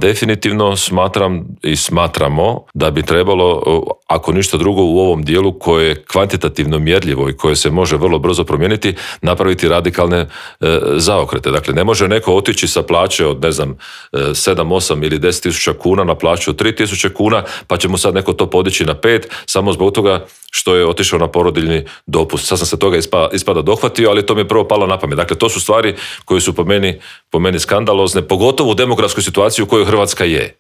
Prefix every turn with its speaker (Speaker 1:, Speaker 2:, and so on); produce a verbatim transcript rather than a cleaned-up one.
Speaker 1: Definitivno smatram i smatramo da bi trebalo, ako ništa drugo u ovom dijelu koje je kvantitativno mjerljivo i koje se može vrlo brzo promijeniti, napraviti radikalne e, zaokrete. Dakle, ne može neko otići sa plaće od, ne znam, sedam, osam ili deset tisuća kuna na plaću od tri tisuće kuna, pa će mu sad neko to podići na pet, samo zbog toga što je otišao na porodiljni dopust. Sad sam se toga ispada, ispada dohvatio, ali to mi je prvo palo na pamet. Dakle, to su stvari koje su po meni, po meni skandalozne, pogotovo u demografskoj situaciji u kojoj Hrvatska je.